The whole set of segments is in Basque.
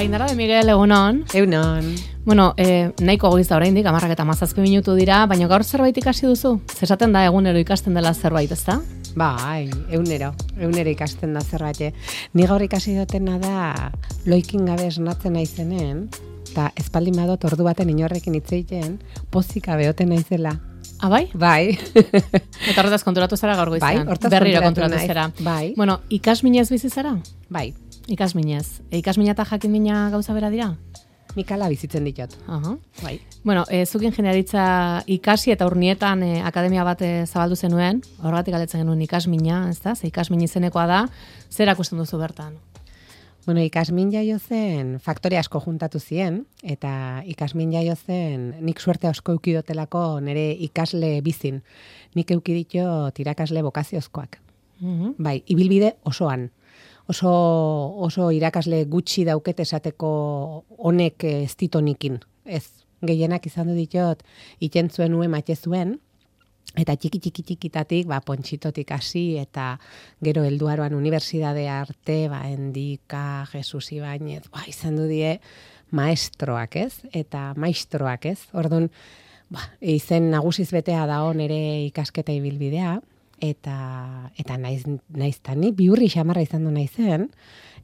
Ainara de Miguel, egunon. Egunon. Bueno, nahiko goiz da oraindik, 10:17 minutu dira, baina gaur zerbait ikasi duzu? Zesaten da egunero ikasten dela zerbait, ezta? Bai, egunero ikasten da zerbait. Ni gaur ikasi dutena da loikin gabe esnatzen naizenen, eta espaldin badot ordu baten inorrekin hitz egiten, pozik gabe oten naizela. Bai? Bai. Eta horretaz konturatu zara gaur goizean. Bai, hortaz berriro konturatu zara. Bai. Bueno, ikasminez bizi zara? Bai. Ikasminez. Ikasmina eta jakimina gauza bera dira? Mikala bizitzen ditut. Aha. Bai. Bueno, zuk ingeniaritza ikasi eta urnietan akademia bat zabaldu zenuen, horregatik galdetzen genuen ikasmina, ezta? Ze ikasmin izenekoa da, zer akusten duzu bertan? Bueno, ikasmin jaio zen, faktore asko juntatu zien, eta ikasmin jaio zen, nik suerte asko eukidotelako nire ikasle bizin. Nik eukiditio irakasle bokaziozkoak. Bai, ibilbide osoan. Oso irakasle gutxi dauket esateko honek ez ditonikin. Ez, gehienak izan du ditot, itentzuen nuen matxe zuen, eta txikitatik, Pontxitotik hasi, eta gero helduaroan unibertsidadea arte, Endika, Jesus Ibañez, izan du die maestroak, ez? Eta maistroak, ez? Orduan, izen nagusiz betea dago nire ikasketa ibilbidea, eta naiztani, biurri xamarra izan du naizen,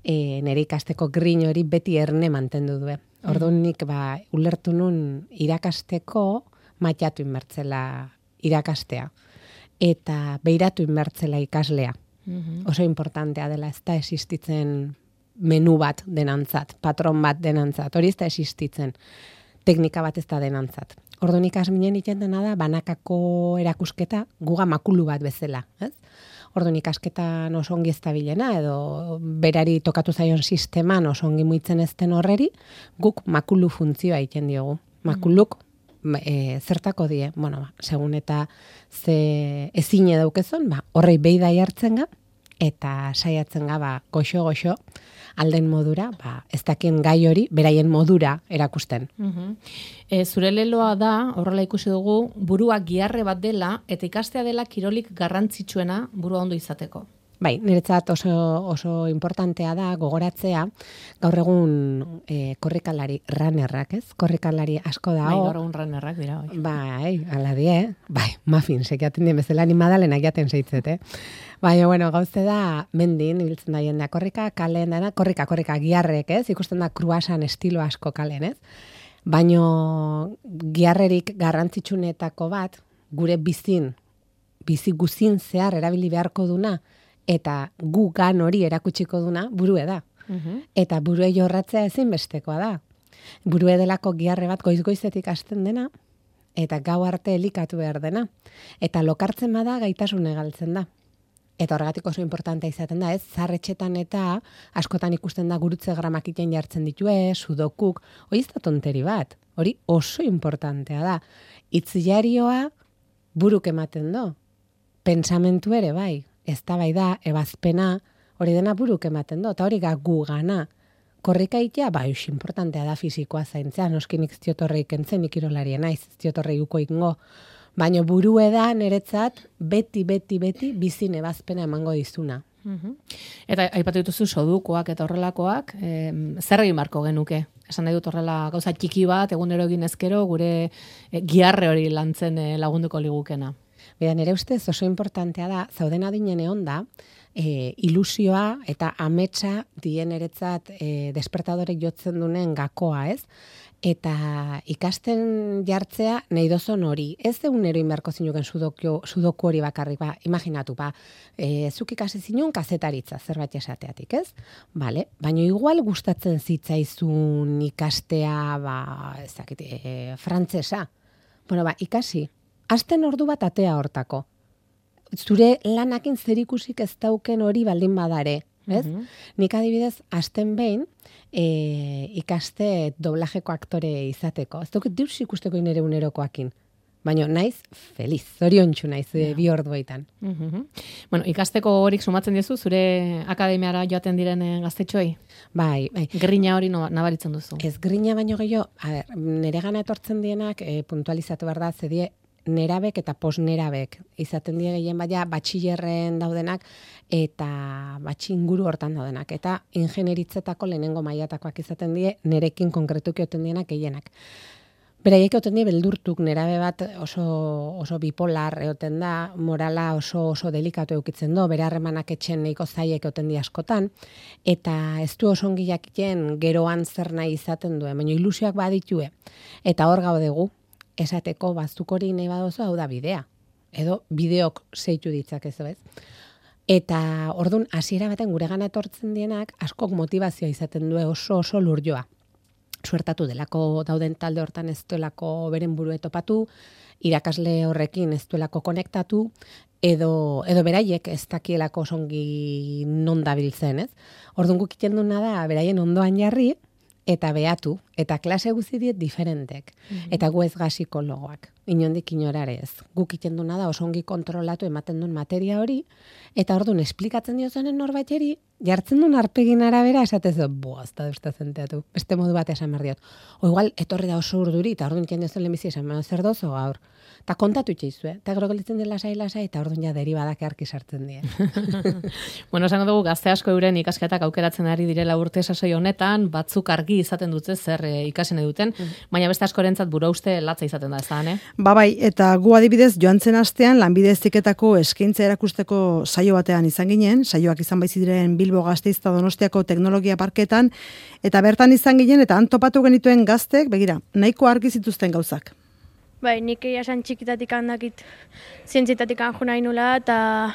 nire ikasteko grin hori beti erne mantendu du. Orduan nik ulertu nun irakasteko matxatu inbertzela irakastea, eta beiratu inbertzela ikaslea. Oso importantea dela, ez da existitzen menu bat denantzat, patron bat denantzat, hori ez da existitzen, teknika bat ez da denantzat. Orduan ikasminen iten dena da, banakako erakusketa guga makulu bat bezala, ez? Orduan ikasketan oso ongi ez dabilena, edo berari tokatu zaion sisteman oso ongi muitzen ezten horreri, guk makulu funtzioa iten diogu. Makuluk zertako die, segun eta ze ezine daukezon, horrei beida jartzen ga, eta saiatzen ga, goxo, alden modura, ez dakien gai hori, beraien modura erakusten. Zure leloa da, horrela ikusi dugu, burua giarre bat dela, eta ikastea dela kirolik garrantzitsuena burua ondo izateko. Bai, niretzat oso importantea da gogoratzea, gaur egun korrikalari runnerrak, ez? Korrikalari asko da. Bai, gaur egun runnerrak dira. Bai, ala die, muffin, sekiaten dien bezala, ni madalenak jaten zeitzet, Baina, gauze da, mendin, ibiltzen da jendea korrika, kalen dana, korrika, giarrek, ez? Ikusten da kruasan estilo asko kalen, ez? Baina, giarrerik garrantzitsunetako bat, gure bizi guzin zehar erabili beharko duna, eta gu gan hori erakutsiko duna, burue da. Eta burue jorratzea ezinbestekoa da. Burue delako giarre bat goiz-goizetik hasten dena, eta gau arte elikatu behar dena. Eta lokartzen bada gaitasune galtzen da. Eta horregatik oso importantea izaten da, ez? Zarretxetan eta askotan ikusten da gurutze gramakiten jartzen ditue, sudokuk, hori ez da tonteri bat. Hori oso importantea da. Itziarioa buruk ematen do. Pentsamentu ere, bai. Ez da bai da, ebazpena, hori dena buruk ematen do, eta hori gu gana. Korrika itea, oso importantea da fizikoa zaintzea, noski nik ziotorreik entzen, nik irolarien naiz, ziotorrei uko ingo. Baina burue da niretzat beti bizin ebazpena emango dizuna. Eta aipatu dituzu sodukoak eta horrelakoak, zer egin marko genuke? Esan nahi dut horrela gauza txiki bat, egunero egin ezkero, gure giarre hori lantzen lagunduko ligukena. Beda, nire ustez oso importantea da, zauden adinen egon da, ilusioa eta ametsa dien eretzat despertadorek jotzen dunen gakoa, ez? Eta ikasten jartzea nahi dozon hori. Ez egunero inberko zinuken sudoku hori bakarrik, imaginatu, zuk ikasi zinuen kazetaritza, zerbait esateatik, ez? Bale, baina igual gustatzen zitzaizun ikastea, frantzesa. Bueno, ikasi. Asten ordu bat atea hortako. Zure lanakin zerikusik ez dauken hori baldin badare, ez? Nik adibidez, asten behin, ikaste doblajeko aktore izateko. Ez dauket dius ikusteko nire unerokoakin. Baina naiz feliz, zoriontsu naiz bi orduetan. Bueno, ikasteko horik sumatzen diezu, zure akademiara joaten diren gaztetxoi? Bai. Grina hori nabaritzen duzu? Ez grina baino gehiago, nire gana etortzen dienak puntualizatu behar da, zedie nerabek eta posnerabek. Izaten die gehien baina batxillerren daudenak eta inguru hortan daudenak. Eta ingenieritzetako lehenengo mailatakoak izaten die, nerekin konkretuki oten dienak gehienak. Beraiek oten die beldurtuk, nerabe bat oso bipolar egoten da, morala oso delikatu eukitzen do, bere harremanak etxen nahiko zaiek oten di askotan, eta ez du oso ongi jakiten geroan zer nahi izaten duen, baina ilusioak baditue. Eta hor gaudegu, esateko bazuk hori nahi badozu, hau da bidea. Edo bideok zeitu ditzakezu, ez? Eta ordun hasiera baten guregana etortzen dienak askok motivazioa izaten du oso lurjoa. Suertatu delako dauden talde hortan ez duelako beren burue topatu, irakasle horrekin ez duelako konektatu, edo beraiek ez dakielako osongi non dabiltzen, ez? Orduan guk iten duna da, beraien ondoan jarri, eta behatu, eta klase guzti diet diferentek. Eta gu ez ga psikologoak, inondik inorare ez. Guk iten duna da osongi kontrolatu ematen duen materia hori, eta orduan esplikatzen diozonen norbaiteri, jartzen duen arpegin arabera esatez, ez da duzta zenteatu, beste modu bat esan behar diot. O igual, etorri da oso urduri, eta orduan iten diozen lehenbizi esan behar zer dozo gaur. Eta kontatu itxeizu, eta gero gelitzen dela lasai, eta orduan ja deribadak arki sartzen die. Bueno, esango dugu gazte asko euren ikasketak aukeratzen ari direla urte sasoi honetan, batzuk argi izaten dute zer ikasen duten, baina beste askorentzat burauste latza izaten da, ez da, Bai, eta gu adibidez joan zen astean lanbide heziketako eskaintza erakusteko saio batean izan ginen, saioak izan baizi diren Bilbo Gasteiz eta Donostiako teknologia parketan, eta bertan izan ginen eta han topatu genituen gaztek, begira, nahiko argi zituzten gauzak. Bai, nik esan txikitatik handakit zientzietatik anju nahi nula eta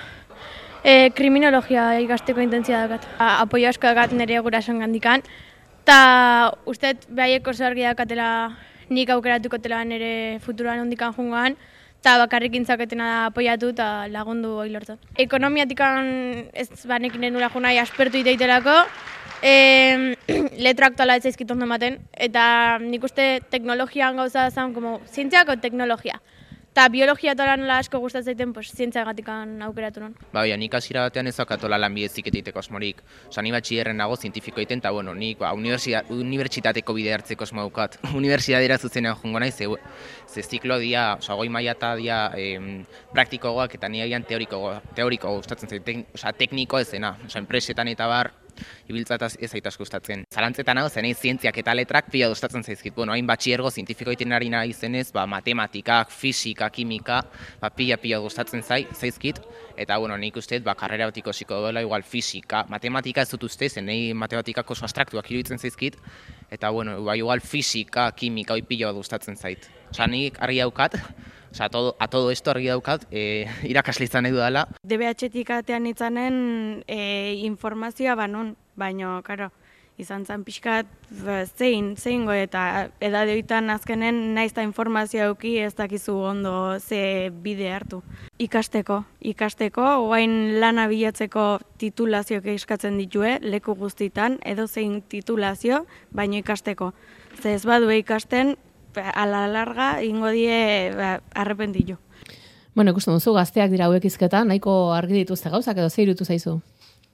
kriminologia ikasteko intentzia dakat. Apoio asko dakat nire gurasoen gandikan, eta usteet behaiek oso argi dakatela nik aukeratuko tela nire futuroan ondikan jungoan, eta bakarrik intzaketena da apoiatu eta lagundu hori lortzen. Ekonomiatikan ez banekin nula junai aspertu iteitelako, letra aktuala ez zaizkit ondo ematen, eta nik uste teknologian gauza zen, como zientziako teknologia. Eta biologia eta nola asko gustatzen, pues, zientziagatik aukeratu non. Bai, nik hasiera batean ez daukatola lanbide heziketa asmorik. Osa, ni batxillerren nago zientifiko egiten, eta bueno, nik unibertsitateko bide hartzeko asmo daukat. Unibertsitatera zuzenean joango naiz, ze ziklo dia, osa, goi maila eta dia praktikoagoak eta ni agian teoriko gustatzen zaiten, osa, tekniko ez dena, osa, enpresetan eta bar, ibiltzataz ez zait asko gustatzen. Zalantzetan hau, zenei zientziak eta letrak pila gustatzen zaizkit. Bueno, hain batxiergo zientifiko egiten ari nahi zenez, matematikak, fisika, kimika, pila gustatzen zaizkit. Eta, bueno, nik usteet, karrera bat ikosiko duela, igual fisika, matematika ez dut uste, zenei matematikak oso abstraktuak iruditzen zaizkit. Eta, bueno, igual fisika, kimika, hoi pila bat gustatzen zait. Osa, nik argi daukat, a todo esto argi daukat, irakasle izan nahi dudala. DBH-tik atean itzanen informazioa banon, baina, karo, izan zen pixkat zein eta edadeoitan azkenen naizta informazioa euki ez dakizu ondo ze bide hartu. Ikasteko, oain lana bilatzeko titulazioak eskatzen ditue, leku guztitan, edo zein titulazio, baina ikasteko. Ze ez badue ikasten, ala larga, ingo die arrepentillo. Bueno, ikusten duzu, gazteak dira hauek izketan, nahiko argi dituzte gauzak edo ze irutu zaizu?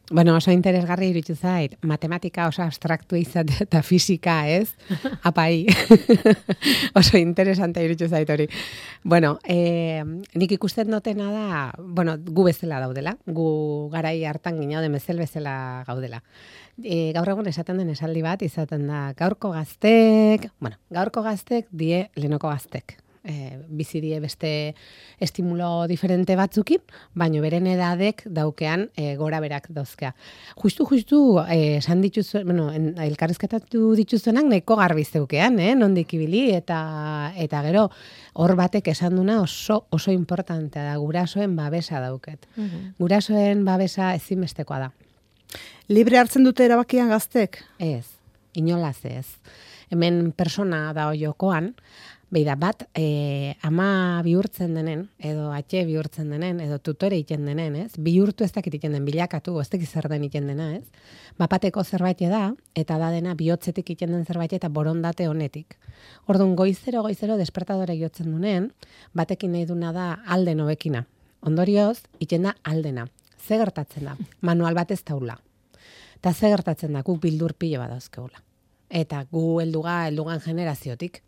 Bueno, oso interesgarri irutu zait. Matematika oso abstraktu izate eta fisika, ez? Apai. Oso interesante irutu zait hori. Bueno, nik ikusten dotena da, bueno, gu bezala daudela. Gu garai hartan ginaude mezel bezala gaudela. Gaur egun esaten den esaldi bat izaten da gaurko gaztek die lehenoko gaztek. Bizi die beste estimulo diferente batzukin, baino beren edadek daukean gora berak dauzkea. Justu esan dituzuen, bueno, elkarrizketatu dituzuenak nahiko garbi zeukean, nondik ibili eta gero hor batek esan duna oso importantea da, gurasoen babesa dauket. Gurasoen babesa ezinbestekoa da. Libre hartzen dute erabakian gaztek? Ez, inolaz ez. Hemen persona da jokoan, beida bat, ama bihurtzen denen, edo atxe bihurtzen denen, edo tutore iten denen, ez? Bihurtu ez dakit iten den, bilakatu, ez dakit zer den iten dena, ez? Bapateko zerbait da, eta da dena bihotzetik iten den zerbait eta borondate honetik. Orduan, goizero despertadore jotzen duen, batekin nahi duna da alden hobekina. Ondorioz, iten da aldena. Ze gertatzen da? Manual bat ez daula. Eta ze gertatzen da, guk bildur pilo bat dauzkeula. Eta gu heldugan generaziotik.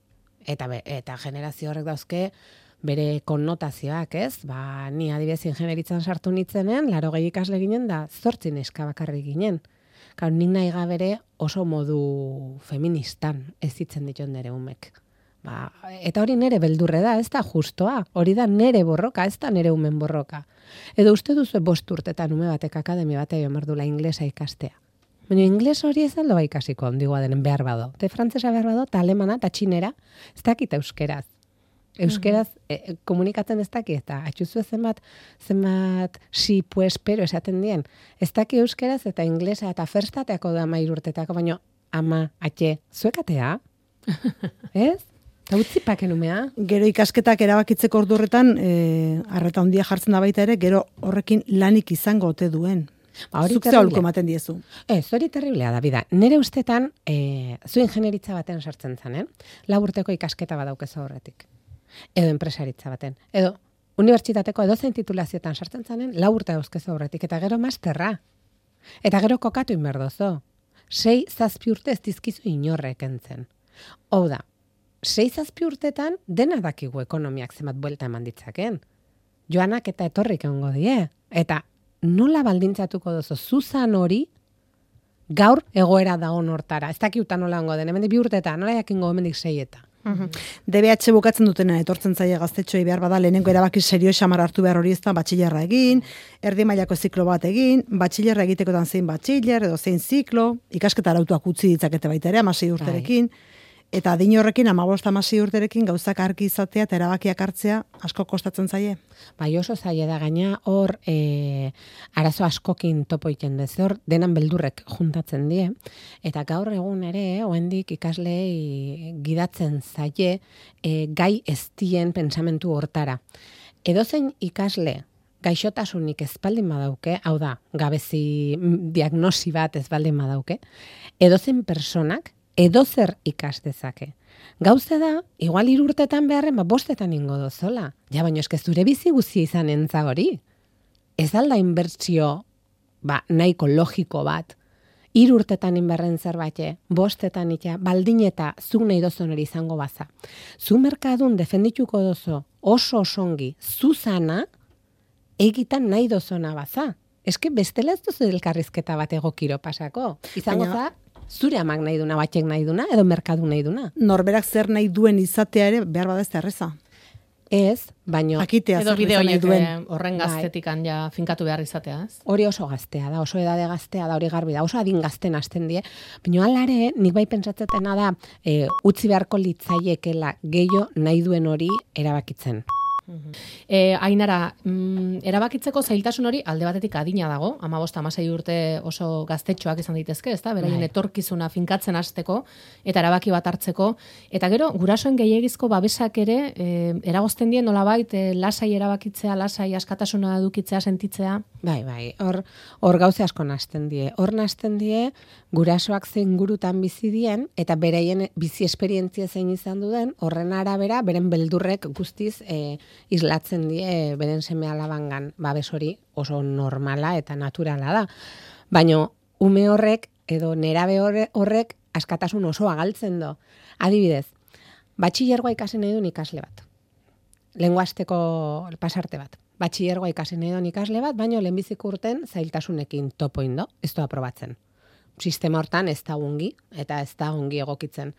Eta generazio horrek dauzke, bere konnotazioak, ez? Ni adibidez ingenieritzan sartu nitzenen, 80 ikasle ginen da 8 neska bakarrik ginen. Claro, nik nahi gabere oso modu feministan ez ditzen dituen nere umek. Eta hori nere beldurre da, ez da justoa. Hori da nere borroka, ez da nere umen borroka. Edo uste duzu 5 urtetan ume batek akademia batea joan berdula inglesa ikastea. Baina ingles hori ez aldo ikasiko ondigua denen behar bado. Te frantzesa behar bado, ta alemana, ta txinera, ez dakit euskeraz. Euskeraz komunikatzen ez daki, eta atxuzu zenbat si, pues, pero esaten dien. Ez daki euskeraz eta inglesa eta ferstateako da 13 urtetako, baina ama, atxe, zuekatea? Ez? Eta utzipaken umea? Gero ikasketak erabakitzeko ordu horretan, arreta handia jartzen da baita ere, gero horrekin lanik izango ote duen. Zuk ze aholku ematen diezu. Ez, hori terriblea da, bida. Nere ustetan, zu ingenieritza baten sartzen zanen, 4 urteko ikasketa badaukezu horretik. Edo enpresaritza baten. Edo unibertsitateko edozein titulazioetan sartzen zanen, 4 urte dauzkezu horretik. Eta gero masterra. Eta gero kokatu inberdozo. 6-7 urte ez dizkizu inorrek entzen. Hau da, 6-7 urtetan dena dakigu ekonomiak zenbat buelta eman ditzaken. Joanak eta etorrik egongo die. Eta nola baldintzatuko dozu zuzan hori gaur egoera dago hortara. Ez dakiuta nola ongo den, hemendik 2 urtetan, nola jakingo hemendik 6 eta. DBH bukatzen dutena etortzen zaie gaztetxoei behar bada lehenengo erabaki serio xamar hartu behar hori ez da batxilerra egin, erdi mailako ziklo bat egin, batxilerra egitekotan zein batxiler edo zein ziklo, ikasketa arautuak utzi ditzakete baita ere 16 urterekin. Eta adin horrekin 15-16 urterekin gauzak argi izatea eta erabakiak hartzea asko kostatzen zaie. Bai, oso zaie da gaina hor arazo askokin topo egiten dez, hor denan beldurrek juntatzen die, eta gaur egun ere, oraindik ikaslei gidatzen zaie gai eztien pentsamentu hortara. Edozein ikasle gaixotasunik ez baldin badauke, hau da, gabezi diagnosi bat ez baldin badauke, edozein personak edozer ikas dezake. Gauza da, igual 3 urtetan beharren, 5etan ingo dozola. Ja, baina eske zure bizi guztia izan entza hori. Ez alda inbertsio nahiko logiko bat. 3 urtetan inberren zerbait, 5etan itxa, baldin eta zuk nahi dozon hori izango baza. Zu merkadun defendituko dozo oso osongi zuzana egitan nahi dozona baza. Eske bestela ez duzu elkarrizketa bat egokiro pasako. Izango za, zure amak nahi duna, batxek nahi duna, edo merkadu nahi duna. Norberak zer nahi duen izatea ere behar bada ez da erreza. Ez, baino... Akitea edo zer bide nahi horiek duen. horren gaztetikan ja finkatu behar izatea, ez? Hori oso gaztea da, oso edade gaztea da, hori garbi da, oso adin gazten hasten die. Baina alare, nik bai pentsatzetena da, utzi beharko litzaiekela gehiago nahi duen hori erabakitzen. Ainara, erabakitzeko zailtasun hori alde batetik adina dago, 15-16 urte oso gaztetxoak izan daitezke, ezta? Beraien etorkizuna finkatzen hasteko eta erabaki bat hartzeko, eta gero gurasoen gehiegizko babesak ere eragozten dien nolabait lasai erabakitzea, lasai askatasuna edukitzea, sentitzea. Bai, hor gauze asko nahasten die. Hor nahasten die gurasoak zein gurutan bizi dien eta beraien bizi esperientzia zein izan duen, horren arabera beren beldurrek guztiz islatzen die beren seme alabangan. Babes hori oso normala eta naturala da. Baina ume horrek edo nerabe horrek askatasun oso agaltzen do. Adibidez, batxilergoa ikasi nahi duen ikasle bat. Lenguasteko pasarte bat. Batxilergoa ikasi nahi duen ikasle bat, baina lehenbiziko urten zailtasunekin topoin do, ez da aprobatzen. Sistema hortan ez da ongi, eta ez da ongi egokitzen.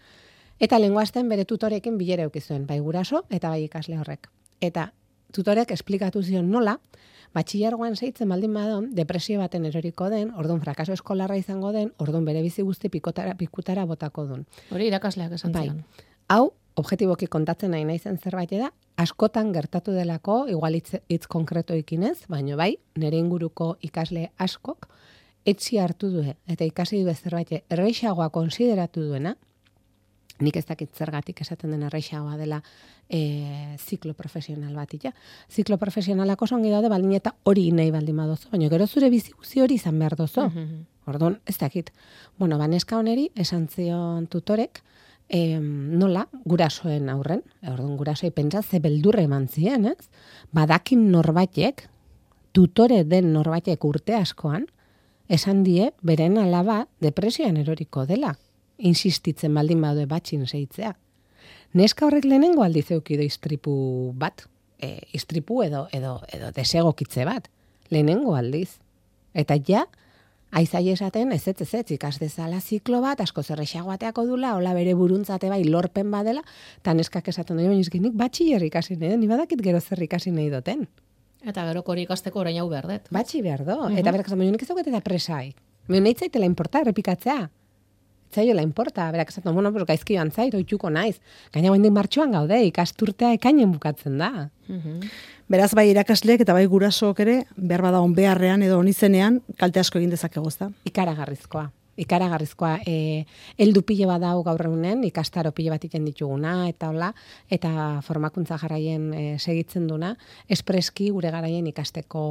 Eta lenguasten bere tutorekin bilera eukizuen, bai guraso eta bai ikasle horrek. Eta tutorek esplikatu zion nola, batxilergoan seitzen baldin badon, depresio baten eroriko den, orduan frakaso eskolarra izango den, orduan bere bizi guzti pikutara botako duen. Hori irakasleak esan zion. Hau, objektiboki kontatzen nahi naizen zerbait da, askotan gertatu delako, igual hitz konkretoekin ez, baina bai, nire inguruko ikasle askok, etzi hartu du eta ikasi du zerbait erreixagoa konsideratu duena, nik ez dakit zergatik esaten den erreixagoa dela ziklo profesional bat, ja. Ziklo profesionalak oso ongi daude, baldin eta hori nahi baldin badozo, baina gero zure bizi guzti hori izan behar dozo. Orduan, ez dakit. Bueno, baneska honeri, esan zion tutorek, nola, gurasoen aurren, orduan gurasoi pentsa ze beldurre eman zien, ez? Badakin norbaitek, tutore den norbaitek urte askoan, esan die, beren alaba depresioan eroriko dela, insistitzen baldin badue batxin zeitzea. Neska horrek lehenengo aldiz eukido istripu bat, istripu edo desegokitze bat, lehenengo aldiz. Eta ja, aizai esaten, ez, ikas dezala ziklo bat, asko zerrexagoateako dula, hola bere buruntzate bai lorpen badela, eta neskak esaten dut, nik batxiller ikasi nahi dut, ni badakit gero zer ikasi nahi duten. Eta gero hori ikasteko orain hau behar dut. Batxi behar do, eta berak esaten, nik ez dauket eta presai. Nahi zaitela importa, errepikatzea. Zaiola importa, berak esaten, pues gaizki joan zait, oituko naiz. Gaina guendik martxoan gaude, ikasturtea ekainen bukatzen da. Beraz, bai irakasleek eta bai gurasook ere, behar bada on beharrean edo onizenean, kalte asko egin dezakegu, ezta? Ikaragarrizkoa. Heldu pile badau gaur egunen, ikastaro pile bat iten dituguna, eta hola, eta formakuntza jarraien segitzen duna, espreski gure garaien ikasteko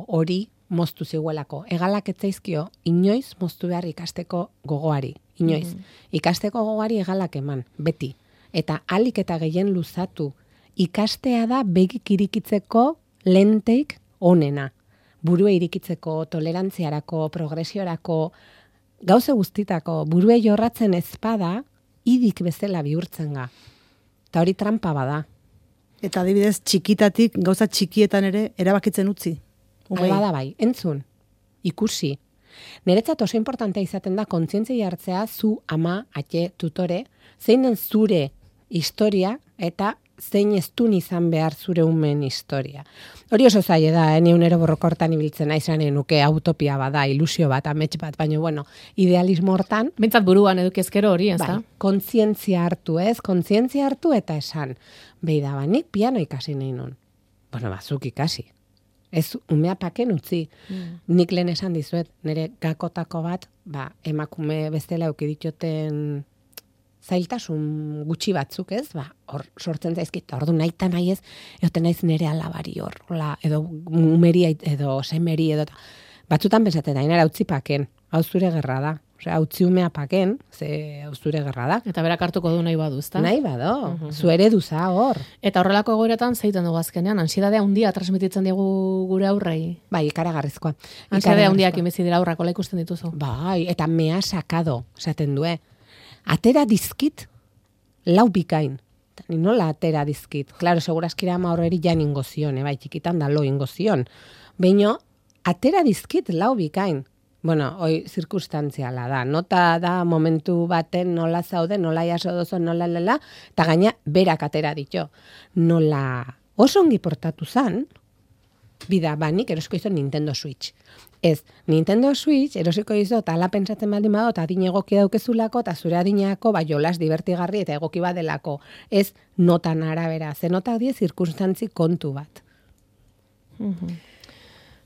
hori moztu ziguelako. Egalak etzaizkio, inoiz moztu behar ikasteko gogoari. Inoiz. Ikasteko gogoari egalak eman, beti. Eta alik eta gehien luzatu, ikastea da begik irikitzeko lenteik onena. Burue irikitzeko, tolerantziarako, progresiorako, gauze guztitako, burue jorratzen ezpada, idik bezala bihurtzen ga. Eta hori trampa bada. Eta adibidez, txikitatik, gauza txikietan ere, erabakitzen utzi. Bada bai, entzun, ikusi. Niretzat oso importantea izaten da kontzientzia hartzea zu ama, ate, tutore, zein den zure historia eta zein ez dun izan behar zure umen historia. Hori oso zaila da, neunero borrokortan ibiltzen aizan nuke utopia bada, ilusio bat, amets bat, baina bueno, idealismo hortan. Bintzat buruan edukezkero hori, ez da? Bai, kontzientzia hartu eta esan. Beida, nik piano ikasi nahi nun. Bueno, bazuk ikasi. Ez umea paken utzi. Nik lehen esan dizuet, nire gakotako bat, emakume bestela eukiditioten zailtasun gutxi batzuk, ez? Hor sortzen zaizkit, ordu naita nahi ez, egoten naiz nire alabari hor, edo umeri, edo semeri, edo batzutan bezaten da, nire utzi paken, hau zure gerra da. Osea, utzi umea paken, ze hau zure gerra da. Eta berak hartuko du nahi badu, ezta? Nahi bado, zuere duza hor. Eta horrelako egoeretan zeiten dugu azkenean, ansiedadea handia transmititzen digu gure aurrei. Bai, ikaragarrizkoa. Ansiedadea handiak inbezi dira aurrak, hola ikusten dituzu. Bai, eta mea sakado, esaten due. Atera dizkit, lau bikain. Ni nola atera dizkit. Claro, segurazkira ama horreri jan ingozion, bai, txikitan da lo ingozion. Baina, atera dizkit, lau bikain. Bueno, hoi zirkustantziala da. Nota da momentu baten nola zaude, nola jaso dozo, nola lela, eta gaina berak atera ditu. Nola oso ongi portatu zan, bida, nik erosiko izan Nintendo Switch. Ez, Nintendo Switch erosiko izan, ala pentsatzen baldin bado, eta adin egoki daukezulako, eta zure adineako, jolas divertigarri eta egoki badelako. Ez notan arabera, ze notak die zirkustantzi kontu bat.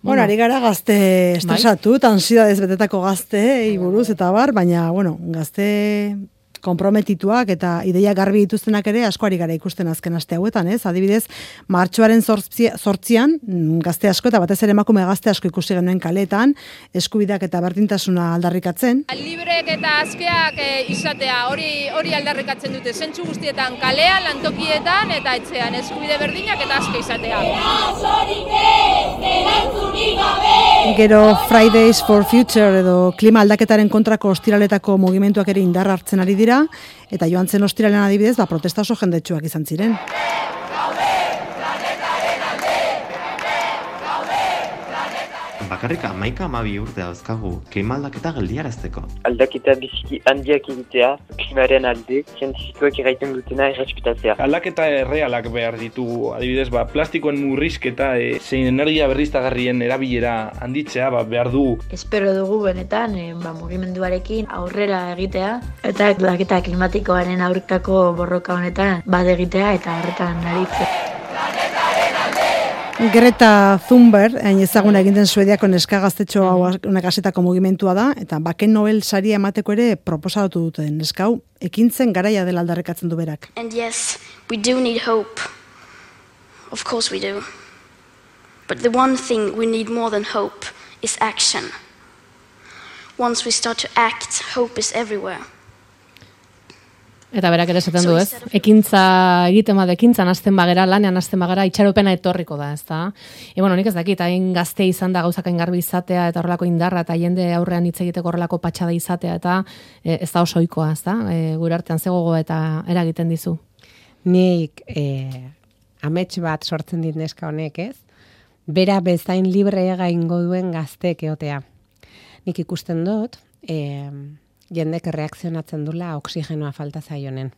Bueno, ari gara gazte estresatu, ansiedadez betetako gazte, buruz eta bar, baina, gazte konprometituak eta ideia garbi dituztenak ere asko ari gara ikusten azken aste hauetan, ez? Adibidez, martxoaren 8an gazte asko eta batez ere emakume gazte asko ikusi genuen kaletan, eskubideak eta berdintasuna aldarrikatzen. Librek eta askeak izatea, hori aldarrikatzen dute, zentzu guztietan kalean, lantokietan eta etxean, eskubide berdinak eta aske izatea. Gero Fridays for Future edo klima aldaketaren kontrako ostiraletako mugimenduak ere indar hartzen ari dira, eta joan zen ostiralean adibidez, protesta oso jendetsuak izan ziren. Bakarrik 11-12 urte dauzkagu klima aldaketa geldiarazteko. Aldaketa biziki handiak egitea, klimaren alde, zientifikoek eraiten dutena errespetatzea. Aldaketa errealak behar ditugu, adibidez, plastikoen murrizketa, zein energia berriztagarrien erabilera handitzea behar du. Espero dugu benetan, mugimenduarekin aurrera egitea, eta aldaketa klimatikoaren aurkako borroka honetan egitea eta horretan aritzea. Greta Thunberg, ezaguna egin den Suediako neska gaztetxo honek hasetako mugimentua da, eta Baken Nobel saria emateko ere proposatu duten neska hau, ekintzen garaia dela aldarrikatzen du berak. And yes, we do need hope. Of course we do. But the one thing we need more than hope is action. Once we start to act, hope is everywhere. Eta berak ere esaten du, ez? Ekintza egiten ekintzan hasten bagera, lanean hasten bagera, itxaropena etorriko da, ezta? Bueno, nik ez dakit, hain gazte izan da gauzak hain garbi izatea, eta horrelako indarra, eta jende aurrean hitz egiteko horrelako patxada izatea, eta ez da oso ohikoa, ezta? Gure artean zegogoa eta eragiten dizu. nik amets bat sortzen dit neska honek, ez? Bera bezain libre egaingo duen gazteek eotea. Nik ikusten dut, jendek reakzionatzen dula oksigenoa falta zaionen.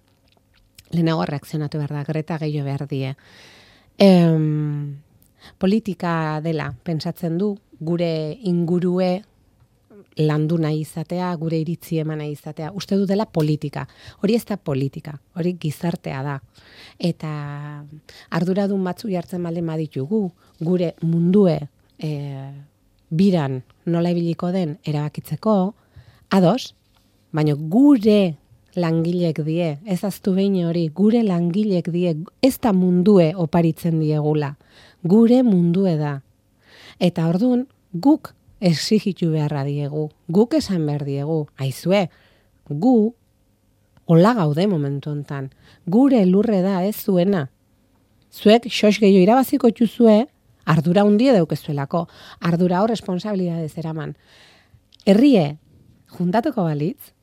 Lehenago reakzionatu behar da, Greta gehiago behar die. Politika dela, pentsatzen du, gure ingurue landu nahi izatea, gure iritzi eman nahi izatea. Uste du dela politika. Hori ez da politika, hori gizartea da. Eta arduradun batzu jartzen baldin baditugu, gure mundue biran nola ibiliko den erabakitzeko, ados, baina gure langilek die, ez aztu behin hori, gure langilek die, ez da mundue oparitzen diegula, gure mundue da. Eta orduan, guk exigitu beharra diegu, guk esan behar diegu, aizue, gu hola gaude momentu hontan, gure lurre da ez zuena. Zuek xos gehiago irabaziko txuzue, ardura hundie daukezuelako, ardura hor responsabilidadez eraman. Herrie juntatuko balitz,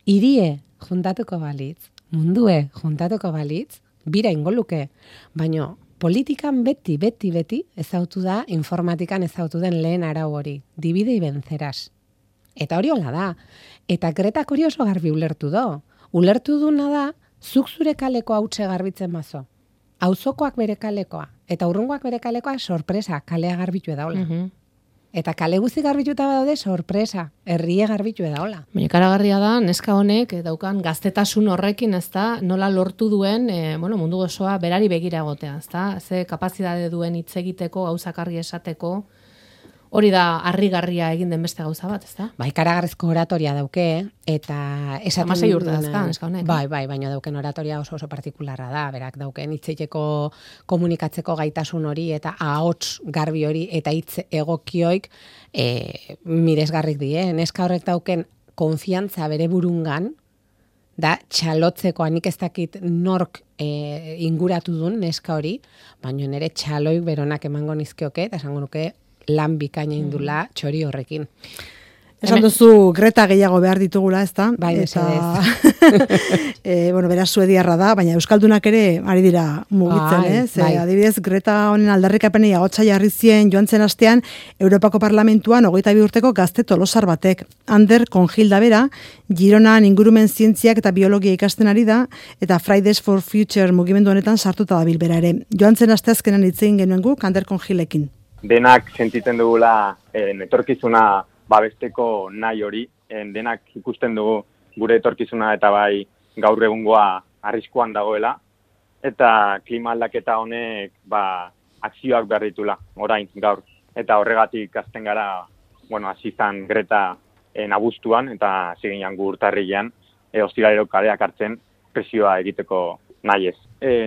hirie juntatuko balitz, mundue juntatuko balitz, bira ingoluke, baino politikan beti ezautu da, informatikan ezautu den lehen arau hori, divide y vencerás. Eta hori hola da. Eta Gretak hori oso garbi ulertu do. Ulertu duna da, zuk zure kaleko hautse garbitzen bazo. Auzokoak bere kalekoa, eta urrungoak bere kalekoa sorpresa, kalea garbitu edaola. Eta kale guzti garbituta badaude sorpresa, herrie garbitu edaola. Baina karagarria da, neska honek daukan gaztetasun horrekin, ez da, nola lortu duen, mundu osoa berari begira egotea, ez da, ze kapazidade duen hitz egiteko, gauzak argi esateko, hori da harrigarria egin den beste gauza bat, ez da? Bai, karagarrizko oratoria dauke, eta esaten... 16 urte dazka, neska honek. Bai, baina dauken oratoria oso partikularra da, berak dauken hitzeiteko komunikatzeko gaitasun hori, eta ahots garbi hori, eta hitz egokioik miresgarrik die. Neska horrek dauken konfiantza bere burungan, da txalotzeko, anik ez dakit nork inguratu duen neska hori, baina nire txaloik beronak emango nizkioke, eta esango nuke, lan bikaina indula txori horrekin. Esan duzu Greta gehiago behar ditugula, ez da? Bai, beraz suediarra da, baina euskaldunak ere ari dira mugitzen, ez? Bai. Adibidez, Greta honen aldarrikapenei agotsa jarri zien joan zen astean Europako Parlamentuan 22 urteko gazte tolosar batek. Ander Konjilda bera, Gironan ingurumen zientziak eta biologia ikasten ari da, eta Fridays for Future mugimendu honetan sartuta dabil bera ere. Joan zen asteazkenan hitz egin genuen guk Ander Konjilekin. Denak sentitzen dugula etorkizuna babesteko nahi hori, denak ikusten dugu gure etorkizuna eta bai gaur egungoa arriskuan dagoela, eta klima aldaketa honek akzioak behar ditula, orain gaur. Eta horregatik azten gara, hasi izan Greta abuztuan eta ziginan gu urtarrilean, ostiralero kaleak hartzen presioa egiteko nahi ez.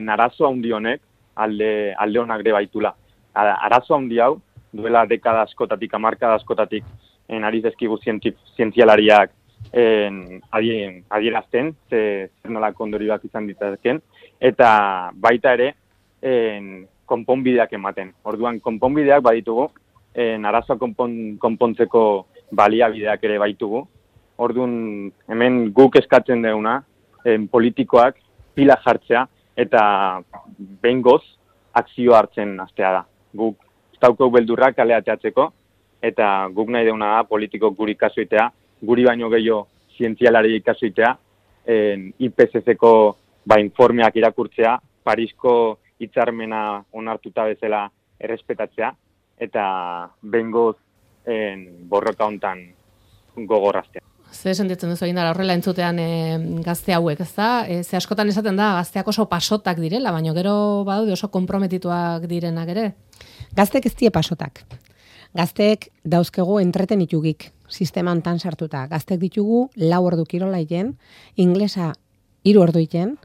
Arazo handi honek alde honak ere baitula. Arazo handi hau, duela dekada askotatik, hamarkada askotatik, ari dezkigu zientzialariak adierazten, zer nolako ondorioak izan ditazken, eta baita ere konponbideak ematen. Orduan, konponbideak baditugu, arazoa konpontzeko baliabideak ere baitugu. Orduan, hemen guk eskatzen duguna, politikoak pila jartzea, eta behingoz akzio hartzen hastea da. Guk estauko beldurrak kalea teatzeko, eta guk nahi deuna da politiko guri kasuitea, guri baino gehiago zientzialari kasuitea, IPCC-ko informeak irakurtzea, Parisko hitzarmena onartuta bezala errespetatzea, eta behingoz borroka hontan gogorraztea. Ze sentitzen duzu egin dara horrela entzutean gazte hauek, ez da? Ze askotan esaten da gazteak oso pasotak direla, baina gero badaude oso konprometituak direnak ere. Gaztek ez die pasotak. Gazteek dauzkegu entretenitugik sistema hontan sartuta. Gaztek ditugu 4 ordu kirola iten, inglesa 3 ordu iten,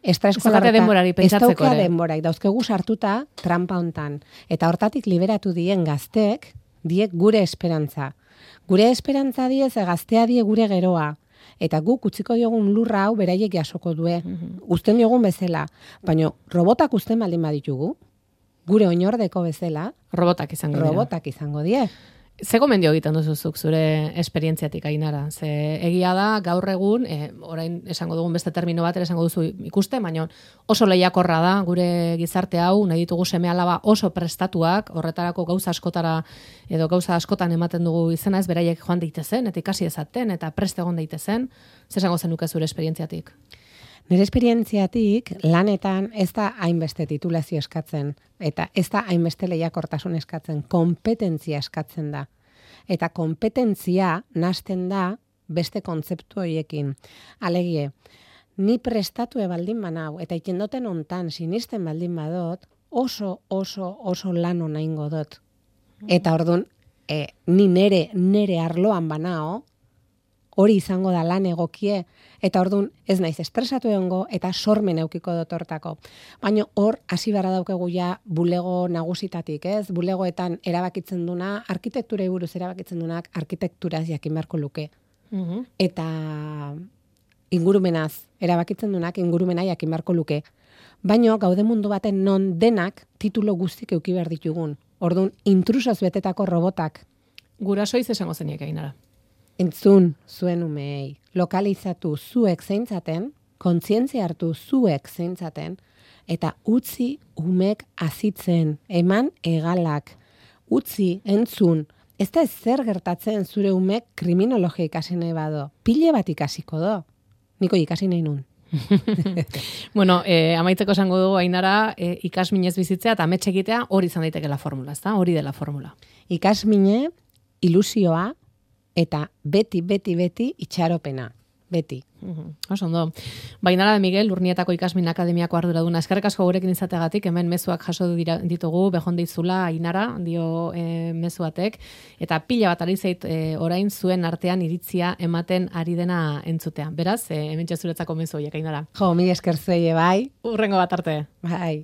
estraeskolarreta denborari pentsatzeko ere. Denborai dauzkegu sartuta trampa hontan. Eta hortatik liberatu dien gazteek diek gure esperantza. Gure esperantza die ze gaztea die gure geroa. Eta guk utziko diogun lurra hau beraiek jasoko due. Uzten diogun bezala. Baina robotak uzten baldin baditugu, gure oinordeko bezala, robotak izango die. Ze gomendio egiten duzuzuk zure esperientziatik, Ainara? Ze egia da, gaur egun, orain esango dugun beste termino bat, esango duzu ikuste, baina oso lehiakorra da gure gizarte hau, nahi ditugu seme-alaba oso prestatuak, horretarako gauza askotara edo gauza askotan ematen dugu izena, ez beraiek joan daitezen, eta ikasi ezaten, eta prest egon daitezen. Ze esango zenuke zure esperientziatik? Nire esperientziatik lanetan ez da hainbeste titulazio eskatzen, eta ez da hainbeste lehiakortasun eskatzen, kompetentzia eskatzen da. Eta kompetentzia nahasten da beste kontzeptu horiekin. Alegie, ni prestatue baldin banau, eta ikendoten ontan sinisten baldin badot, oso lan onaingo dot. Eta orduan, ni nere arloan banao, hori izango da lan egokie, eta orduan ez naiz estresatu egongo eta sormen eukiko dut hortako. Baina hor hasi beharra daukegu ja bulego nagusitatik, ez? Bulegoetan erabakitzen duna, arkitekturei buruz erabakitzen dunak arkitekturaz jakin beharko luke. Eta ingurumenaz erabakitzen dunak ingurumena jakin beharko luke. Baina gaude mundu baten non denak titulo guztik euki behar ditugun. Orduan intrusoz betetako robotak. Gurasoiz esango zeniek, Ainara. Entzun zuen umei, lokalizatu zuek zeintzaten, kontzientzia hartu zuek zeintzaten, eta utzi umek azitzen, eman egalak, utzi entzun, ez da zer gertatzen zure umek kriminologia ikasi nahi bado, pile bat ikasiko do, niko ikasi nahi nun. Bueno, amaitzeko esango dugu, Ainara, ikasminez bizitzea eta amets egitea hori izan daitekela formula, ezta? Hori dela formula. Ikasmine, ilusioa, eta beti itxaropena. Beti. Oso ondo. Ainara de Miguel, Urnietako Ikasmin Akademiako arduraduna. Eskerrik asko gurekin izateagatik, hemen mezuak jaso ditugu, behon dizula, Ainara, dio mezuatek, eta pila bat ari zait orain zuen artean iritzia ematen ari dena entzutea. Beraz, hemen zuretzako mezu horiek, Ainara. Jo, mila esker zuei, bai. Urrengo bat arte. Bai.